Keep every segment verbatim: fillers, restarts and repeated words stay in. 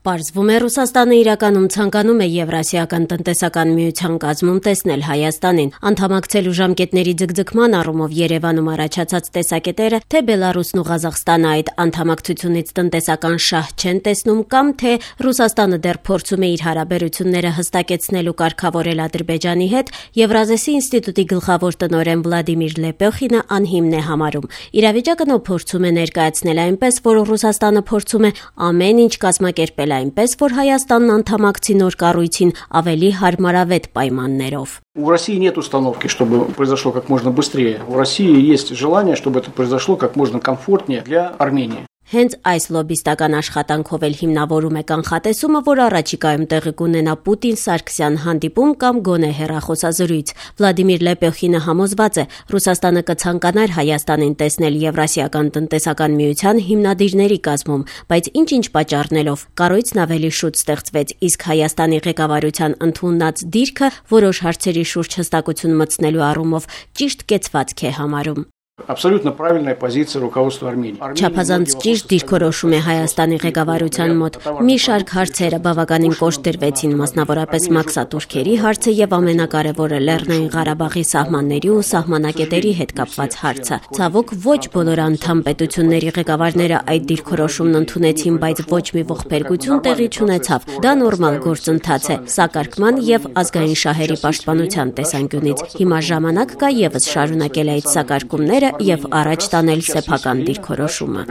Պարզվում է, Ռուսաստանը իրականում ցանկանում է Եվրասիական տնտեսական միության կազմում տեսնել Հայաստանին։ Անդամակցելու ժամկետների ձգձգման առումով Երևանում առաջացած տեսակետերը, թե Բելարուսն ու Ղազախստանը այդ անդամակցությունից տնտեսական շահ չեն տեսնում, կամ թե Ռուսաստանը դեռ փորձում է իր հարաբերությունները հստակեցնել ու կարգավորել Ադրբեջանի հետ, Եվրազեսի ինստիտուտի գլխավոր տնօրեն Վլադիմիր Լեպյոխինը անհիմն է համարում։ Իրավիճակն ու փորձում է ներկայացնել այնպես, որ Ռուսաստանը փորձում է ամեն ինչ կազմակերպել այնպես, որ Հայաստանն անդամակցի նոր կառույցին ավելի հարմարավետ պայմաններով։ У России нет установки, чтобы произошло как можно быстрее. У России есть желание, чтобы это произошло как можно комфортнее для Армении. Հենց այս լոբիստական աշխատանքով էլ հիմնավորում է կանխատեսումը, որ առաջիկայում տեղի կունենա Պուտին-Սարգսյան հանդիպում կամ գոնե հեռախոսազրույց։ Վլադիմիր Լեպյոխինը համոզված է, Ռուսաստանը կցանկանար Հայաստանին տեսնել Եվրասիական տնտեսական միության հիմնադիրների կազմում, բայց ինչ-ինչ պատճառներով կառույցն ավելի շուտ ստեղծվեց, իսկ Հայաստանի ղեկավարության ընդունած դիրքը որոշ հարցերի շուրջ հստակություն մտցնելու առումով ճիշտ կեցվածք է համարում։ Абсолютно правильная позиция руководства Армении. Չափազանց ճիշտ դիրքորոշում է Հայաստանի ղեկավարության մոտ։ Մի շարք հարցերը բավականին կոշտ դրվեցին, մասնավորապես մաքսատուրքերի հարցը եւ ամենակարևորը Լեռնային Ղարաբաղի սահմանների ու սահմանակետերի հետ կապված հարցը։ Ցավոք ոչ բոլոր անդամ պետությունների ղեկավարները այդ դիրքորոշումն ընդունեցին, բայց ոչ մի ողբերգություն տեղի չունեցավ։ Դա նորմալ գործընթաց է, սակարկման եւ ազգային շահերի պաշտպանության տեսանկյունից։ Հիմա ժամանակ կա եւս շարունակել այդ սակարկումները եւ առաջ տանել սեփական դիրքորոշումը։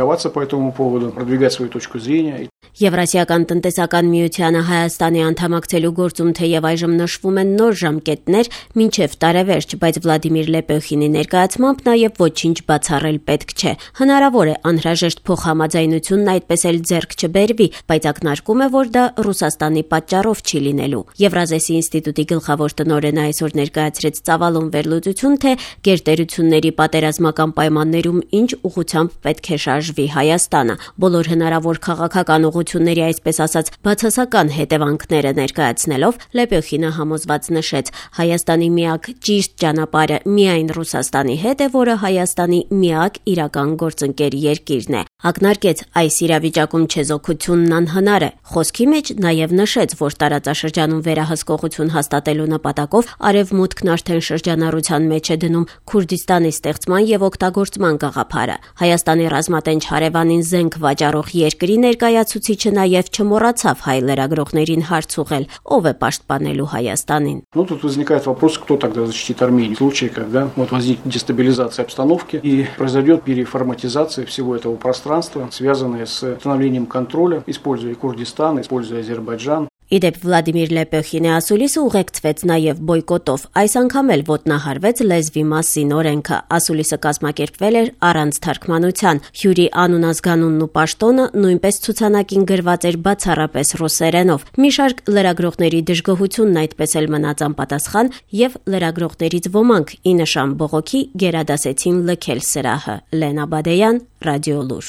Եվրասիական տնտեսական միությանը Հայաստանի անդամակցելու գործում թեև այժմ նշվում են նոր ժամկետներ մինչև տարեվերջ, բայց Վլադիմիր Լեպյոխինի ներկայացմամբ նաեւ ոչինչ բացառել պետք չէ։ Հնարավոր է անհրաժեշտ փոխհամաձայնությունն այդպես էլ ձեռք չբերվի, բայց ակնարկում է, որ դա Ռուսաստանի պատճառով չի լինելու։ Եվրազեսի ինստիտուտի գլխավոր տնօրենը այսօր ներկայացրեց ծավալուն վերլուծություն, թե գերտերությունների պատերազմական պայմաններում ինչ ուղղությամբ պետք է շարժվի Հայաստանը։ Բոլոր հնարավոր քաղաքական ուղղությունների, այսպես ասած, բացասական հետևանքները ներկայացնելով, Լեպյոխինը համոզված նշեց, Հայաստանի միակ ճիշտ ճանապարհը միայն Ռուսաստանի հետ է, որը Հայաստանի միակ իրական գործընկեր երկիրն է։ Ակնարկեց, այս իրավիճակում չեզոքությունն անհնար է։ Խոսքի մեջ նաև նշեց, որ տարածաշրջանում վերահսկողություն հաստատելու նպատակով Արևմուտքն արդեն շրջանառության մեջ է դնում Քուրդիստանի ստեղծման եւ օգտագործման գաղափարը։ Հայաստանի ռազմատենչ հարևանին զենք վաճառող երկրի ներկայացուցիչը նաև չմոռացավ հայ լրագրողներին հարց ուղղել, ով է պաշտպանելու Հայաստանին։ Ну тут возникает вопрос, кто тогда защитит Армению в случае, когда вот возникнет дестабилизация обстановки и произойдет переформатизация всего этого пространства, связанная с установлением контроля, используя Курдистан, используя Азербайджан. Իդեպ Վլադիմիր Լեպյոխինի ասուլիսը ուղեկցվեց նաև բոյկոտով։ Այս անգամ էլ ոտնահարվեց լեզվի մասին օրենքը։ Ասուլիսը կազմակերպվել էր առանց թարգմանության։ Հյուրի անուն-ազգանունն ու պաշտոնը նույնպես ցուցանակին գրված էր բացառապես ռուսերենով։ Մի շարք լրագրողների դժգոհությունն այդպես էլ մնաց անպատասխան, եւ լրագրողներից ոմանք ի նշան բողոքի գերադասեցին լքել սրահը։ Լենա Բադեյան, Ռադիոլուր։